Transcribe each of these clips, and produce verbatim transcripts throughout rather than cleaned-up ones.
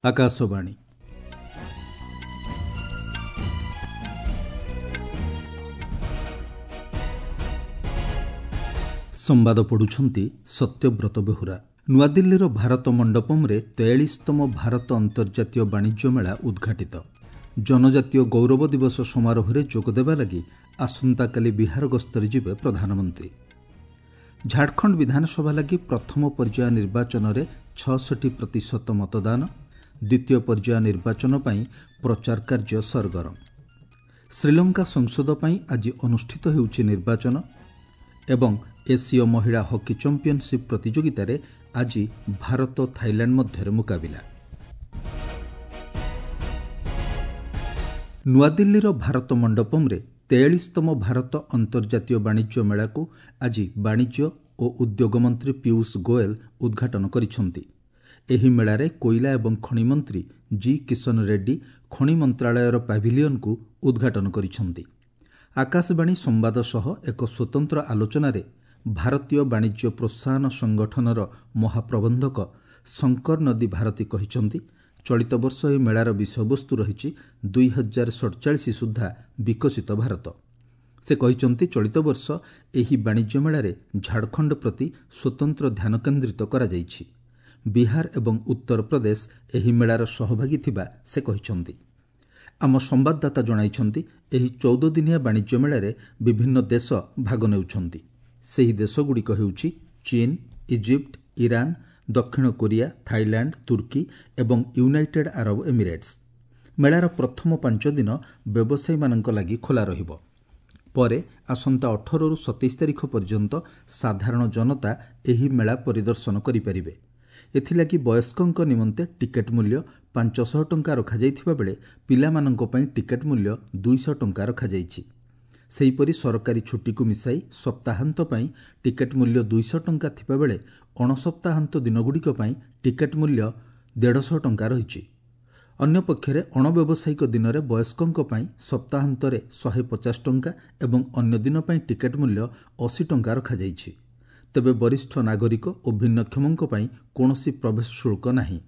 ଆକାଶବାଣୀ। ସମ୍ବାଦ ପଢ଼ୁଛନ୍ତି ସତ୍ୟବ୍ରତ ବେହୁରା। ନୂଆଦିଲ୍ଲୀର ଭାରତ ମଣ୍ଡପମ୍ରେ ତେୟାଳିଶତମ ଭାରତ ଅନ୍ତର୍ଜାତୀୟ ବାଣିଜ୍ୟ ମେଳା ଉଦ୍ଘାଟିତ। ଜନଜାତୀୟ ଗୌରବ ଦିବସ ସମାରୋହରେ ଯୋଗଦେବା ଲାଗି ଆସନ୍ତାକାଲି ବିହାର ଗସ୍ତରେ ଯିବେ ପ୍ରଧାନମନ୍ତ୍ରୀ। ଝାଡ଼ଖଣ୍ଡ ବିଧାନସଭା ଲାଗି ପ୍ରଥମ ପର୍ଯ୍ୟାୟ ନିର୍ବାଚନରେ ଛଅଷଠି ପ୍ରତିଶତ ମତଦାନ। ଦ୍ୱିତୀୟ ପର୍ଯ୍ୟାୟ ନିର୍ବାଚନ ପାଇଁ ପ୍ରଚାର କାର୍ଯ୍ୟ ସରଗରମ। ଶ୍ରୀଲଙ୍କା ସଂସଦ ପାଇଁ ଆଜି ଅନୁଷ୍ଠିତ ହେଉଛି ନିର୍ବାଚନ। ଏବଂ ଏସୀୟ ମହିଳା ହକି ଚାମ୍ପିୟନସିପ୍ ପ୍ରତିଯୋଗିତାରେ ଆଜି ଭାରତ ଥାଇଲାଣ୍ଡ ମଧ୍ୟରେ ମୁକାବିଲା। ନୂଆଦିଲ୍ଲୀର ଭାରତ ମଣ୍ଡପମ୍ରେ ତେୟାଳିଶତମ ଭାରତ ଅନ୍ତର୍ଜାତୀୟ ବାଣିଜ୍ୟ ମେଳାକୁ ଆଜି ବାଣିଜ୍ୟ ଓ ଉଦ୍ୟୋଗ ମନ୍ତ୍ରୀ ପୀୟୁଷ ଗୋଏଲ ଉଦ୍ଘାଟନ କରିଛନ୍ତି। ଏହି ମେଳାରେ କୋଇଲା ଏବଂ ଖଣି ମନ୍ତ୍ରୀ ଜି କିଶନ ରେଡ୍ଡୀ ଖଣି ମନ୍ତ୍ରଣାଳୟର ପାଭିଲିୟନକୁ ଉଦ୍ଘାଟନ କରିଛନ୍ତି। ଆକାଶବାଣୀ ସମ୍ବାଦ ସହ ଏକ ସ୍ୱତନ୍ତ୍ର ଆଲୋଚନାରେ ଭାରତୀୟ ବାଣିଜ୍ୟ ପ୍ରୋତ୍ସାହନ ସଂଗଠନର ମହାପ୍ରବନ୍ଧକ ଶଙ୍କର ନଦୀ ଭାରତୀ କହିଛନ୍ତି, ଚଳିତ ବର୍ଷ ଏହି ମେଳାର ବିଷୟବସ୍ତୁ ରହିଛି ଦୁଇ ହଜାର ସଡ଼ଚାଳିଶ ସୁଦ୍ଧା ବିକଶିତ ଭାରତ। ସେ କହିଛନ୍ତି, ଚଳିତ ବର୍ଷ ଏହି ବାଣିଜ୍ୟ ମେଳାରେ ଝାଡ଼ଖଣ୍ଡ ପ୍ରତି ସ୍ୱତନ୍ତ୍ର ଧ୍ୟାନ କେନ୍ଦ୍ରିତ କରାଯାଇଛି। ବିହାର ଏବଂ ଉତ୍ତରପ୍ରଦେଶ ଏହି ମେଳାର ସହଭାଗୀ ଥିବା ସେ କହିଛନ୍ତି। ଆମ ସମ୍ବାଦଦାତା ଜଣାଇଛନ୍ତି, ଏହି ଚଉଦ ଦିନିଆ ବାଣିଜ୍ୟ ମେଳାରେ ବିଭିନ୍ନ ଦେଶ ଭାଗ ନେଉଛନ୍ତି। ସେହି ଦେଶଗୁଡ଼ିକ ହେଉଛି ଚୀନ, ଇଜିପ୍ଟ, ଇରାନ, ଦକ୍ଷିଣ କୋରିଆ, ଥାଇଲାଣ୍ଡ, ତୁର୍କୀ ଏବଂ ୟୁନାଇଟେଡ୍ ଆରବ ଏମିରେଟ୍ସ। ମେଳାର ପ୍ରଥମ ପାଞ୍ଚ ଦିନ ବ୍ୟବସାୟୀମାନଙ୍କ ଲାଗି ଖୋଲା ରହିବ। ପରେ ଆସନ୍ତା ଅଠରରୁ ସତେଇଶ ତାରିଖ ପର୍ଯ୍ୟନ୍ତ ସାଧାରଣ ଜନତା ଏହି ମେଳା ପରିଦର୍ଶନ କରିପାରିବେ। ଏଥିଲାଗି ବୟସ୍କଙ୍କ ନିମନ୍ତେ ଟିକେଟ୍ ମୂଲ୍ୟ ପାଞ୍ଚଶହ ଟଙ୍କା ରଖାଯାଇଥିବା ବେଳେ ପିଲାମାନଙ୍କ ପାଇଁ ଟିକେଟ୍ ମୂଲ୍ୟ ଦୁଇଶହ ଟଙ୍କା ରଖାଯାଇଛି। ସେହିପରି ସରକାରୀ ଛୁଟିକୁ ମିଶାଇ ସପ୍ତାହାନ୍ତ ପାଇଁ ଟିକେଟ୍ ମୂଲ୍ୟ ଦୁଇଶହ ଟଙ୍କା ଥିବାବେଳେ ଅଣସପ୍ତାହାନ୍ତ ଦିନଗୁଡ଼ିକ ପାଇଁ ଟିକେଟ୍ ମୂଲ୍ୟ ଦେଢ଼ଶହ ଟଙ୍କା ରହିଛି। ଅନ୍ୟପକ୍ଷରେ ଅଣବ୍ୟବସାୟିକ ଦିନରେ ବୟସ୍କଙ୍କ ପାଇଁ ସପ୍ତାହାନ୍ତରେ ଶହେ ପଚାଶ ଟଙ୍କା ଏବଂ ଅନ୍ୟ ଦିନ ପାଇଁ ଟିକେଟ୍ ମୂଲ୍ୟ ଅଶୀ ଟଙ୍କା ରଖାଯାଇଛି। ତେବେ ବରିଷ୍ଠ ନାଗରିକ ଓ ଭିନ୍ନକ୍ଷମଙ୍କ ପାଇଁ କୌଣସି ପ୍ରବେଶ ଶୁଳ୍କ ନାହିଁ।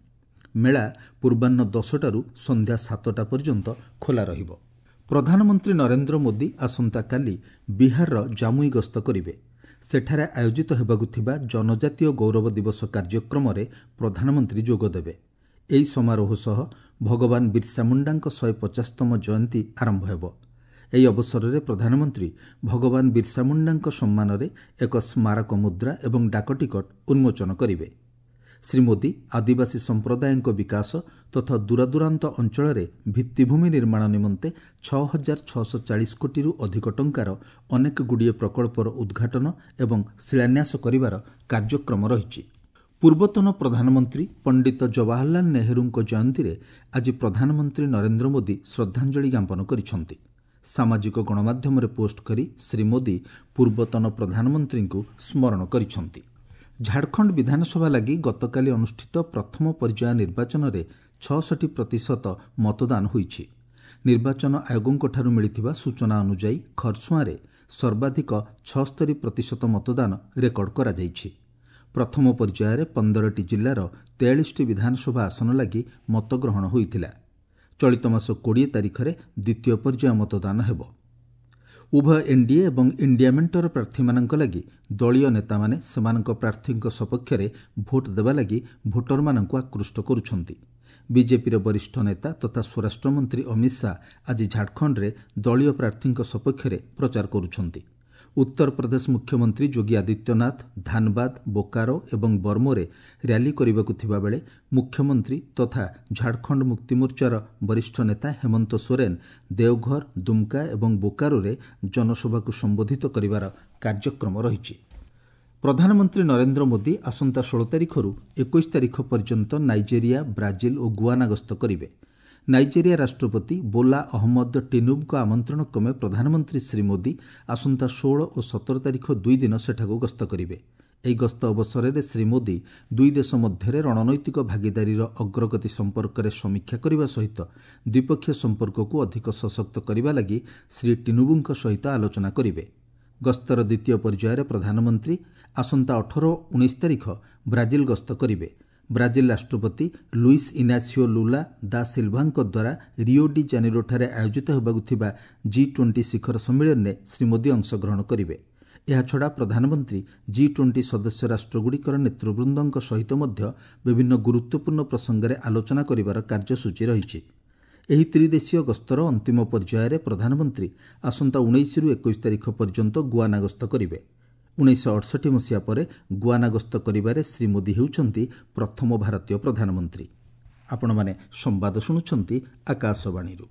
ମେଳା ପୂର୍ବାହ୍ନ ଦଶଟାରୁ ସନ୍ଧ୍ୟା ସାତଟା ପର୍ଯ୍ୟନ୍ତ ଖୋଲା ରହିବ। ପ୍ରଧାନମନ୍ତ୍ରୀ ନରେନ୍ଦ୍ର ମୋଦି ଆସନ୍ତାକାଲି ବିହାରର ଜାମୁଇ ଗସ୍ତ କରିବେ। ସେଠାରେ ଆୟୋଜିତ ହେବାକୁ ଥିବା ଜନଜାତୀୟ ଗୌରବ ଦିବସ କାର୍ଯ୍ୟକ୍ରମରେ ପ୍ରଧାନମନ୍ତ୍ରୀ ଯୋଗଦେବେ। ଏହି ସମାରୋହ ସହ ଭଗବାନ ବିର୍ସା ମୁଣ୍ଡାଙ୍କ ଶହେ ପଚାଶତମ ଜୟନ୍ତୀ ଆରମ୍ଭ ହେବ। ଏହି ଅବସରରେ ପ୍ରଧାନମନ୍ତ୍ରୀ ଭଗବାନ ବିର୍ସା ମୁଣ୍ଡାଙ୍କ ସମ୍ମାନରେ ଏକ ସ୍ମାରକ ମୁଦ୍ରା ଏବଂ ଡାକଟିକଟ ଉନ୍ମୋଚନ କରିବେ। ଶ୍ରୀ ମୋଦି ଆଦିବାସୀ ସମ୍ପ୍ରଦାୟଙ୍କ ବିକାଶ ତଥା ଦୂରଦୂରାନ୍ତ ଅଞ୍ଚଳରେ ଭିତ୍ତିଭୂମି ନିର୍ମାଣ ନିମନ୍ତେ ଛଅ ହଜାର ଛଅଶହ ଚାଳିଶ କୋଟିରୁ ଅଧିକ ଟଙ୍କାର ଅନେକଗୁଡ଼ିଏ ପ୍ରକଳ୍ପର ଉଦ୍ଘାଟନ ଏବଂ ଶିଳାନ୍ୟାସ କରିବାର କାର୍ଯ୍ୟକ୍ରମ ରହିଛି। ପୂର୍ବତନ ପ୍ରଧାନମନ୍ତ୍ରୀ ପଣ୍ଡିତ ଜବାହରଲାଲ ନେହେରୁଙ୍କ ଜୟନ୍ତୀରେ ଆଜି ପ୍ରଧାନମନ୍ତ୍ରୀ ନରେନ୍ଦ୍ର ମୋଦି ଶ୍ରଦ୍ଧାଞ୍ଜଳି ଜ୍ଞାପନ କରିଛନ୍ତି। ସାମାଜିକ ଗଣମାଧ୍ୟମରେ ପୋଷ୍ଟ କରି ଶ୍ରୀ ମୋଦି ପୂର୍ବତନ ପ୍ରଧାନମନ୍ତ୍ରୀଙ୍କୁ ସ୍ମରଣ କରିଛନ୍ତି। ଝାଡ଼ଖଣ୍ଡ ବିଧାନସଭା ଲାଗି ଗତକାଲି ଅନୁଷ୍ଠିତ ପ୍ରଥମ ପର୍ଯ୍ୟାୟ ନିର୍ବାଚନରେ ଛଅଷଠି ପ୍ରତିଶତ ମତଦାନ ହୋଇଛି। ନିର୍ବାଚନ ଆୟୋଗଙ୍କଠାରୁ ମିଳିଥିବା ସୂଚନା ଅନୁଯାୟୀ ଖରସୁଆଁରେ ସର୍ବାଧିକ ଛଅସ୍ତରୀ ପ୍ରତିଶତ ମତଦାନ ରେକର୍ଡ କରାଯାଇଛି। ପ୍ରଥମ ପର୍ଯ୍ୟାୟରେ ପନ୍ଦରଟି ଜିଲ୍ଲାର ତେୟାଳିଶଟି ବିଧାନସଭା ଆସନ ଲାଗି ମତଗ୍ରହଣ ହୋଇଥିଲା। ଚଳିତ ମାସ କୋଡ଼ିଏ ତାରିଖରେ ଦ୍ୱିତୀୟ ପର୍ଯ୍ୟାୟ ମତଦାନ ହେବ। ଉଭୟ ଏନ୍ଡିଏ ଏବଂ ଇଣ୍ଡିଆ ମେଣ୍ଟର ପ୍ରାର୍ଥୀମାନଙ୍କ ଲାଗି ଦଳୀୟ ନେତାମାନେ ସେମାନଙ୍କ ପ୍ରାର୍ଥୀଙ୍କ ସପକ୍ଷରେ ଭୋଟ୍ ଦେବା ଲାଗି ଭୋଟରମାନଙ୍କୁ ଆକୃଷ୍ଟ କରୁଛନ୍ତି। ବିଜେପିର ବରିଷ୍ଠ ନେତା ତଥା ସ୍ୱରାଷ୍ଟ୍ରମନ୍ତ୍ରୀ ଅମିତ ଶାହା ଆଜି ଝାଡ଼ଖଣ୍ଡରେ ଦଳୀୟ ପ୍ରାର୍ଥୀଙ୍କ ସପକ୍ଷରେ ପ୍ରଚାର କରୁଛନ୍ତି। ଉତ୍ତରପ୍ରଦେଶ ମୁଖ୍ୟମନ୍ତ୍ରୀ ଯୋଗୀ ଆଦିତ୍ୟନାଥ ଧାନବାଦ, ବୋକାରୋ ଏବଂ ବର୍ମୋରେ ର୍ୟାଲି କରିବାକୁ ଥିବାବେଳେ ମୁଖ୍ୟମନ୍ତ୍ରୀ ତଥା ଝାଡ଼ଖଣ୍ଡ ମୁକ୍ତିମୋର୍ଚ୍ଚାର ବରିଷ୍ଠ ନେତା ହେମନ୍ତ ସୋରେନ ଦେଓଘର, ଦୁମ୍କା ଏବଂ ବୋକାରୋରେ ଜନସଭାକୁ ସମ୍ବୋଧିତ କରିବାର କାର୍ଯ୍ୟକ୍ରମ ରହିଛି। ପ୍ରଧାନମନ୍ତ୍ରୀ ନରେନ୍ଦ୍ର ମୋଦି ଆସନ୍ତା ଷୋହଳ ତାରିଖରୁ ଏକୋଇଶ ତାରିଖ ପର୍ଯ୍ୟନ୍ତ ନାଇଜେରିଆ, ବ୍ରାଜିଲ ଓ ଗୁଆନା ଗସ୍ତ କରିବେ। ନାଇଜେରିଆ ରାଷ୍ଟ୍ରପତି ବୋଲା ଅହମ୍ମଦ ଟିନୁବୁଙ୍କ ଆମନ୍ତ୍ରଣ କ୍ରମେ ପ୍ରଧାନମନ୍ତ୍ରୀ ଶ୍ରୀ ମୋଦି ଆସନ୍ତା ଷୋହଳ ଓ ସତର ତାରିଖ ଦୁଇ ଦିନ ସେଠାକୁ ଗସ୍ତ କରିବେ। ଏହି ଗସ୍ତ ଅବସରରେ ଶ୍ରୀ ମୋଦି ଦୁଇ ଦେଶ ମଧ୍ୟରେ ରଣନୈତିକ ଭାଗିଦାରୀର ଅଗ୍ରଗତି ସମ୍ପର୍କରେ ସମୀକ୍ଷା କରିବା ସହିତ ଦ୍ୱିପକ୍ଷୀୟ ସମ୍ପର୍କକୁ ଅଧିକ ସଶକ୍ତ କରିବା ଲାଗି ଶ୍ରୀ ଟିନୁବୁଙ୍କ ସହିତ ଆଲୋଚନା କରିବେ। ଗସ୍ତର ଦ୍ୱିତୀୟ ପର୍ଯ୍ୟାୟରେ ପ୍ରଧାନମନ୍ତ୍ରୀ ଆସନ୍ତା ଅଠର ଓ ଉଣେଇଶ ତାରିଖ ବ୍ରାଜିଲ ଗସ୍ତ କରିବେ। ବ୍ରାଜିଲ ରାଷ୍ଟ୍ରପତି ଲୁଇସ୍ ଇନାସିଓ ଲୁଲା ଦା ସିଲ୍ଭାଙ୍କ ଦ୍ୱାରା ରିଓ ଡି ଜାନିରୋଠାରେ ଆୟୋଜିତ ହେବାକୁ ଥିବା ଜି ଟ୍ୱେଣ୍ଟି ଶିଖର ସମ୍ମିଳନୀରେ ଶ୍ରୀ ମୋଦି ଅଂଶଗ୍ରହଣ କରିବେ। ଏହାଛଡ଼ା ପ୍ରଧାନମନ୍ତ୍ରୀ ଜି ଟ୍ୱେଣ୍ଟି ସଦସ୍ୟ ରାଷ୍ଟ୍ରଗୁଡ଼ିକର ନେତୃବୃନ୍ଦଙ୍କ ସହିତ ମଧ୍ୟ ବିଭିନ୍ନ ଗୁରୁତ୍ୱପୂର୍ଣ୍ଣ ପ୍ରସଙ୍ଗରେ ଆଲୋଚନା କରିବାର କାର୍ଯ୍ୟସୂଚୀ ରହିଛି। ଏହି ତ୍ରିଦେଶୀୟ ଗସ୍ତର ଅନ୍ତିମ ପର୍ଯ୍ୟାୟରେ ପ୍ରଧାନମନ୍ତ୍ରୀ ଆସନ୍ତା ଉଣେଇଶରୁ ଏକୋଇଶ ତାରିଖ ପର୍ଯ୍ୟନ୍ତ ଗୁଆନା ଗସ୍ତ କରିବେ। ଉଣେଇଶହ ଅଠଷଠି ମସିହା ପରେ ଗୁଆନା ଗସ୍ତ କରିବାରେ ଶ୍ରୀ ମୋଦି ହେଉଛନ୍ତି ପ୍ରଥମ ଭାରତୀୟ ପ୍ରଧାନମନ୍ତ୍ରୀ। ଆପଣମାନେ ସମ୍ବାଦ ଶୁଣୁଛନ୍ତି ଆକାଶବାଣୀରୁ।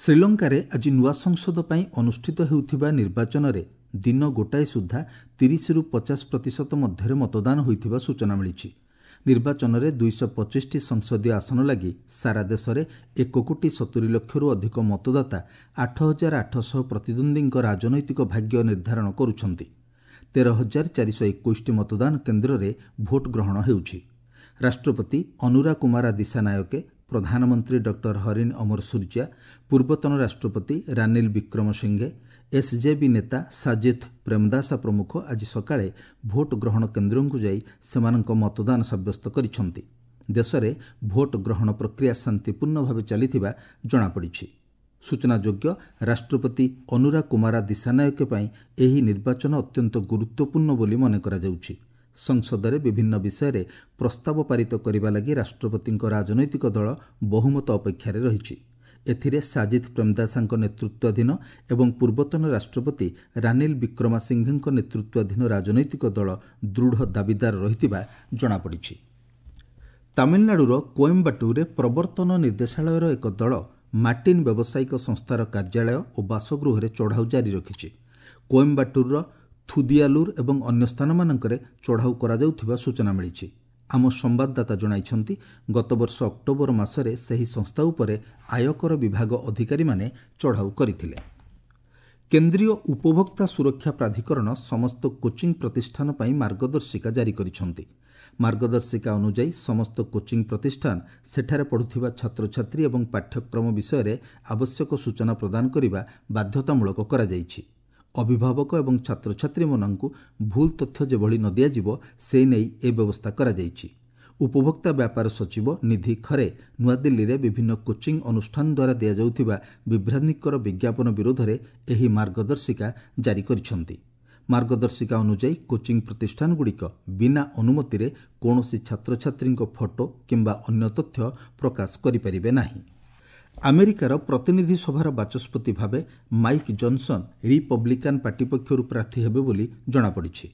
ଶ୍ରୀଲଙ୍କାରେ ଆଜି ନୂଆ ସଂସଦ ପାଇଁ ଅନୁଷ୍ଠିତ ହେଉଥିବା ନିର୍ବାଚନରେ ଦିନ ଗୋଟାଏ ସୁଦ୍ଧା ତିରିଶରୁ ପଚାଶ ପ୍ରତିଶତ ମଧ୍ୟରେ ମତଦାନ ହୋଇଥିବା ସୂଚନା ମିଳିଛି। ନିର୍ବାଚନରେ ଦୁଇଶହ ପଚିଶଟି ସଂସଦୀୟ ଆସନ ଲାଗି ସାରା ଦେଶରେ ଏକ କୋଟି ସତୁରି ଲକ୍ଷରୁ ଅଧିକ ମତଦାତା ଆଠ ହଜାର ଆଠଶହ ପ୍ରତିଦ୍ୱନ୍ଦ୍ୱୀଙ୍କ ରାଜନୈତିକ ଭାଗ୍ୟ ନିର୍ଦ୍ଧାରଣ କରୁଛନ୍ତି। ତେର ହଜାର ଚାରିଶହ ଏକୋଇଶଟି ମତଦାନ କେନ୍ଦ୍ରରେ ଭୋଟ ଗ୍ରହଣ ହେଉଛି। ରାଷ୍ଟ୍ରପତି ଅନୁରା କୁମାରା ଦିଶାନାୟକେ, ପ୍ରଧାନମନ୍ତ୍ରୀ ଡକ୍ଟର ହରିଣ ଅମର ସୂର୍ଯ୍ୟା, ପୂର୍ବତନ ରାଷ୍ଟ୍ରପତି ରାନିଲ ବିକ୍ରମସିଂଘେ, ଏସ୍ଜେବି ନେତା ସାଜିଥ୍ ପ୍ରେମଦାସା ପ୍ରମୁଖ ଆଜି ସକାଳେ ଭୋଟ ଗ୍ରହଣ କେନ୍ଦ୍ରକୁ ଯାଇ ସେମାନଙ୍କ ମତଦାନ ସାବ୍ୟସ୍ତ କରିଛନ୍ତି। ଦେଶରେ ଭୋଟ ଗ୍ରହଣ ପ୍ରକ୍ରିୟା ଶାନ୍ତିପୂର୍ଣ୍ଣ ଭାବେ ଚାଲିଥିବା ଜଣାପଡ଼ିଛି। ସୂଚନାଯୋଗ୍ୟ, ରାଷ୍ଟ୍ରପତି ଅନୁରା କୁମାରା ଦିଶାନାୟକେ ପାଇଁ ଏହି ନିର୍ବାଚନ ଅତ୍ୟନ୍ତ ଗୁରୁତ୍ୱପୂର୍ଣ୍ଣ ବୋଲି ମନେ କରାଯାଉଛି। ସଂସଦରେ ବିଭିନ୍ନ ବିଷୟରେ ପ୍ରସ୍ତାବ ପାରିତ କରିବା ଲାଗି ରାଷ୍ଟ୍ରପତିଙ୍କ ରାଜନୈତିକ ଦଳ ବହୁମତ ଅପେକ୍ଷାରେ ରହିଛି। ଏଥିରେ ସାଜିଦ୍ ପ୍ରେମଦାସାଙ୍କ ନେତୃତ୍ୱାଧୀନ ଏବଂ ପୂର୍ବତନ ରାଷ୍ଟ୍ରପତି ରାନିଲ ବିକ୍ରମାସିଂଘେଙ୍କ ନେତୃତ୍ୱାଧୀନ ରାଜନୈତିକ ଦଳ ଦୃଢ଼ ଦାବିଦାର ରହିଥିବା ଜଣାପଡ଼ିଛି। ତାମିଲନାଡୁର କୋଏମ୍ବାଟୁରରେ ପ୍ରବର୍ତ୍ତନ ନିର୍ଦ୍ଦେଶାଳୟର ଏକ ଦଳ ମାର୍ଟିନ୍ ବ୍ୟବସାୟିକ ସଂସ୍ଥାର କାର୍ଯ୍ୟାଳୟ ଓ ବାସଗୃହରେ ଚଢ଼ାଉ ଜାରି ରଖିଛି। କୋଏମ୍ବାଟୁରର ଥୁଦିଆଲୁର ଏବଂ ଅନ୍ୟ ସ୍ଥାନମାନଙ୍କରେ ଚଢ଼ାଉ କରାଯାଉଥିବା ସୂଚନା ମିଳିଛି। ଆମ ସମ୍ବାଦଦାତା ଜଣାଇଛନ୍ତି, ଗତବର୍ଷ ଅକ୍ଟୋବର ମାସରେ ସେହି ସଂସ୍ଥା ଉପରେ ଆୟକର ବିଭାଗ ଅଧିକାରୀମାନେ ଚଢ଼ାଉ କରିଥିଲେ। କେନ୍ଦ୍ରୀୟ ଉପଭୋକ୍ତା ସୁରକ୍ଷା ପ୍ରାଧିକରଣ ସମସ୍ତ କୋଚିଂ ପ୍ରତିଷ୍ଠାନ ପାଇଁ ମାର୍ଗଦର୍ଶିକା ଜାରି କରିଛନ୍ତି। ମାର୍ଗଦର୍ଶିକା ଅନୁଯାୟୀ ସମସ୍ତ କୋଚିଂ ପ୍ରତିଷ୍ଠାନ ସେଠାରେ ପଢ଼ୁଥିବା ଛାତ୍ରଛାତ୍ରୀ ଏବଂ ପାଠ୍ୟକ୍ରମ ବିଷୟରେ ଆବଶ୍ୟକ ସୂଚନା ପ୍ରଦାନ କରିବା ବାଧ୍ୟତାମୂଳକ କରାଯାଇଛି। ଅଭିଭାବକ ଏବଂ ଛାତ୍ରଛାତ୍ରୀମାନଙ୍କୁ ଭୁଲ ତଥ୍ୟ ଯେଭଳି ନ ଦିଆଯିବ ସେ ନେଇ ଏ ବ୍ୟବସ୍ଥା କରାଯାଇଛି। ଉପଭୋକ୍ତା ବ୍ୟାପାର ସଚିବ ନିଧି ଖରେ ନୂଆଦିଲ୍ଲୀରେ ବିଭିନ୍ନ କୋଚିଂ ଅନୁଷ୍ଠାନ ଦ୍ୱାରା ଦିଆଯାଉଥିବା ବିଭ୍ରାନ୍ତିକର ବିଜ୍ଞାପନ ବିରୋଧରେ ଏହି ମାର୍ଗଦର୍ଶିକା ଜାରି କରିଛନ୍ତି। ମାର୍ଗଦର୍ଶିକା ଅନୁଯାୟୀ କୋଚିଂ ପ୍ରତିଷ୍ଠାନଗୁଡ଼ିକ ବିନା ଅନୁମତିରେ କୌଣସି ଛାତ୍ରଛାତ୍ରୀଙ୍କ ଫଟୋ କିମ୍ବା ଅନ୍ୟ ତଥ୍ୟ ପ୍ରକାଶ କରିପାରିବେ ନାହିଁ। ଆମେରିକାର ପ୍ରତିନିଧି ସଭାର ବାଚସ୍ପତି ଭାବେ ମାଇକ୍ ଜନସନ୍ ରିପବ୍ଲିକାନ୍ ପାର୍ଟି ପକ୍ଷରୁ ପ୍ରାର୍ଥୀ ହେବେ ବୋଲି ଜଣାପଡ଼ିଛି।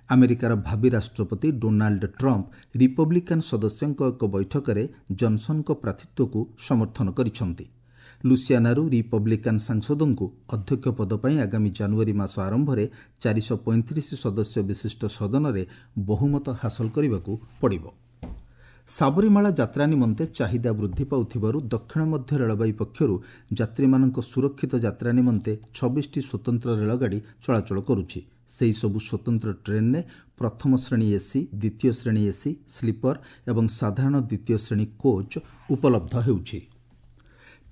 ଆମେରିକାର ଭାବି ରାଷ୍ଟ୍ରପତି ଡୋନାଲ୍ଡ ଟ୍ରମ୍ପ ରିପବ୍ଲିକାନ୍ ସଦସ୍ୟଙ୍କ ଏକ ବୈଠକରେ ଜନସନ୍ଙ୍କ ପ୍ରାର୍ଥୀତ୍ୱକୁ ସମର୍ଥନ କରିଛନ୍ତି। ଲୁସିଆନାରୁ ରିପବ୍ଲିକାନ୍ ସାଂସଦଙ୍କୁ ଅଧ୍ୟକ୍ଷ ପଦ ପାଇଁ ଆଗାମୀ ଜାନୁଆରୀ ମାସ ଆରମ୍ଭରେ ଚାରିଶହ ପଇଁତିରିଶ ସଦସ୍ୟ ବିଶିଷ୍ଟ ସଦନରେ ବହୁମତ ହାସଲ କରିବାକୁ ପଡ଼ିବ। ସାବରୀମାଳା ଯାତ୍ରା ନିମନ୍ତେ ଚାହିଦା ବୃଦ୍ଧି ପାଉଥିବାରୁ ଦକ୍ଷିଣ ମଧ୍ୟ ରେଳବାଇ ପକ୍ଷରୁ ଯାତ୍ରୀମାନଙ୍କ ସୁରକ୍ଷିତ ଯାତ୍ରା ନିମନ୍ତେ ଛବିଶଟି ସ୍ୱତନ୍ତ୍ର ରେଳଗାଡ଼ି ଚଳାଚଳ କରୁଛି। ସେହିସବୁ ସ୍ୱତନ୍ତ୍ର ଟ୍ରେନ୍ରେ ପ୍ରଥମ ଶ୍ରେଣୀ ଏସି, ଦ୍ୱିତୀୟ ଶ୍ରେଣୀ ଏସି, ସ୍ଲିପର ଏବଂ ସାଧାରଣ ଦ୍ୱିତୀୟ ଶ୍ରେଣୀ କୋଚ୍ ଉପଲବ୍ଧ ହେଉଛି।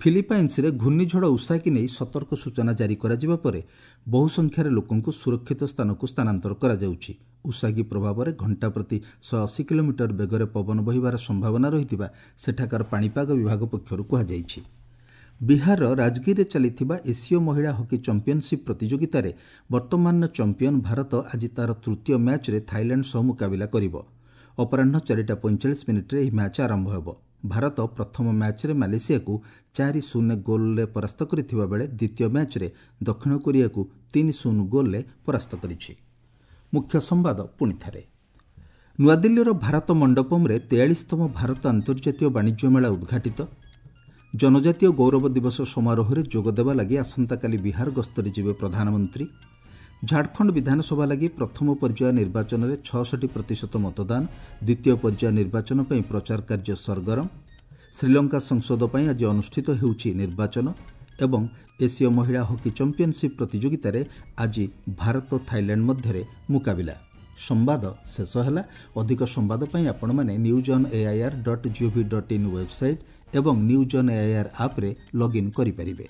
ଫିଲିପାଇନ୍ସରେ ଘୂର୍ଣ୍ଣିଝଡ଼ ଉଷାକି ନେଇ ସତର୍କ ସୂଚନା ଜାରି କରାଯିବା ପରେ ବହୁ ସଂଖ୍ୟାରେ ଲୋକଙ୍କୁ ସୁରକ୍ଷିତ ସ୍ଥାନକୁ ସ୍ଥାନାନ୍ତର କରାଯାଉଛି। ଉଷାଗି ପ୍ରଭାବରେ ଘଣ୍ଟା ପ୍ରତି ଶହେ ଅଶୀ କିଲୋମିଟର ବେଗରେ ପବନ ବହିବାର ସମ୍ଭାବନା ରହିଥିବା ସେଠାକାର ପାଣିପାଗ ବିଭାଗ ପକ୍ଷରୁ କୁହାଯାଇଛି। ବିହାରର ରାଜଗିରିରେ ଚାଲିଥିବା ଏସୀୟ ମହିଳା ହକି ଚାମ୍ପିୟନସିପ୍ ପ୍ରତିଯୋଗିତାରେ ବର୍ତ୍ତମାନର ଚାମ୍ପିୟନ ଭାରତ ଆଜି ତା'ର ତୃତୀୟ ମ୍ୟାଚ୍ରେ ଥାଇଲାଣ୍ଡ ସହ ମୁକାବିଲା କରିବ। ଅପରାହ୍ନ ଚାରିଟା ପଇଁଚାଳିଶ ମିନିଟ୍ରେ ଏହି ମ୍ୟାଚ୍ ଆରମ୍ଭ ହେବ। ଭାରତ ପ୍ରଥମ ମ୍ୟାଚ୍ରେ ମାଲେସିଆକୁ ଚାରି ଶୂନ୍ୟ ଗୋଲ୍ରେ ପରାସ୍ତ କରିଥିବା ବେଳେ ଦ୍ୱିତୀୟ ମ୍ୟାଚ୍ରେ ଦକ୍ଷିଣ କୋରିଆକୁ ତିନି ଶୂନ ଗୋଲ୍ରେ ପରାସ୍ତ କରିଛି। ମୁଖ୍ୟ ସମ୍ବାଦ ପୁଣି ଥରେ। ନୂଆଦିଲ୍ଲୀର ଭାରତ ମଣ୍ଡପମରେ ତେୟାଳିଶତମ ଭାରତ ଆନ୍ତର୍ଜାତୀୟ ବାଣିଜ୍ୟ ମେଳା ଉଦ୍ଘାଟିତ। ଜନଜାତୀୟ ଗୌରବ ଦିବସ ସମାରୋହରେ ଯୋଗଦେବା ଲାଗି ଆସନ୍ତାକାଲି ବିହାର ଗସ୍ତରେ ଯିବେ ପ୍ରଧାନମନ୍ତ୍ରୀ। ଝାଡ଼ଖଣ୍ଡ ବିଧାନସଭା ଲାଗି ପ୍ରଥମ ପର୍ଯ୍ୟାୟ ନିର୍ବାଚନରେ ଛଅଷଠି ପ୍ରତିଶତ ମତଦାନ। ଦ୍ୱିତୀୟ ପର୍ଯ୍ୟାୟ ନିର୍ବାଚନ ପାଇଁ ପ୍ରଚାର କାର୍ଯ୍ୟ ସରଗରମ। ଶ୍ରୀଲଙ୍କା ସଂସଦ ପାଇଁ ଆଜି ଅନୁଷ୍ଠିତ ହେଉଛି ନିର୍ବାଚନ। ଏବଂ ଏସୀୟ ମହିଳା ହକି ଚାମ୍ପିୟନସିପ୍ ପ୍ରତିଯୋଗିତାରେ ଆଜି ଭାରତ ଥାଇଲାଣ୍ଡ ମଧ୍ୟରେ ମୁକାବିଲା। ସମ୍ବାଦ ଶେଷ ହେଲା। ଅଧିକ ସମ୍ବାଦ ପାଇଁ ଆପଣମାନେ news on AIR dot gov dot in website ଏବଂ ନ୍ୟୁଜ୍ ଅନ୍ ଏଆଇଆର୍ ଆପ୍ରେ ଲଗ୍ଇନ୍ କରିପାରିବେ।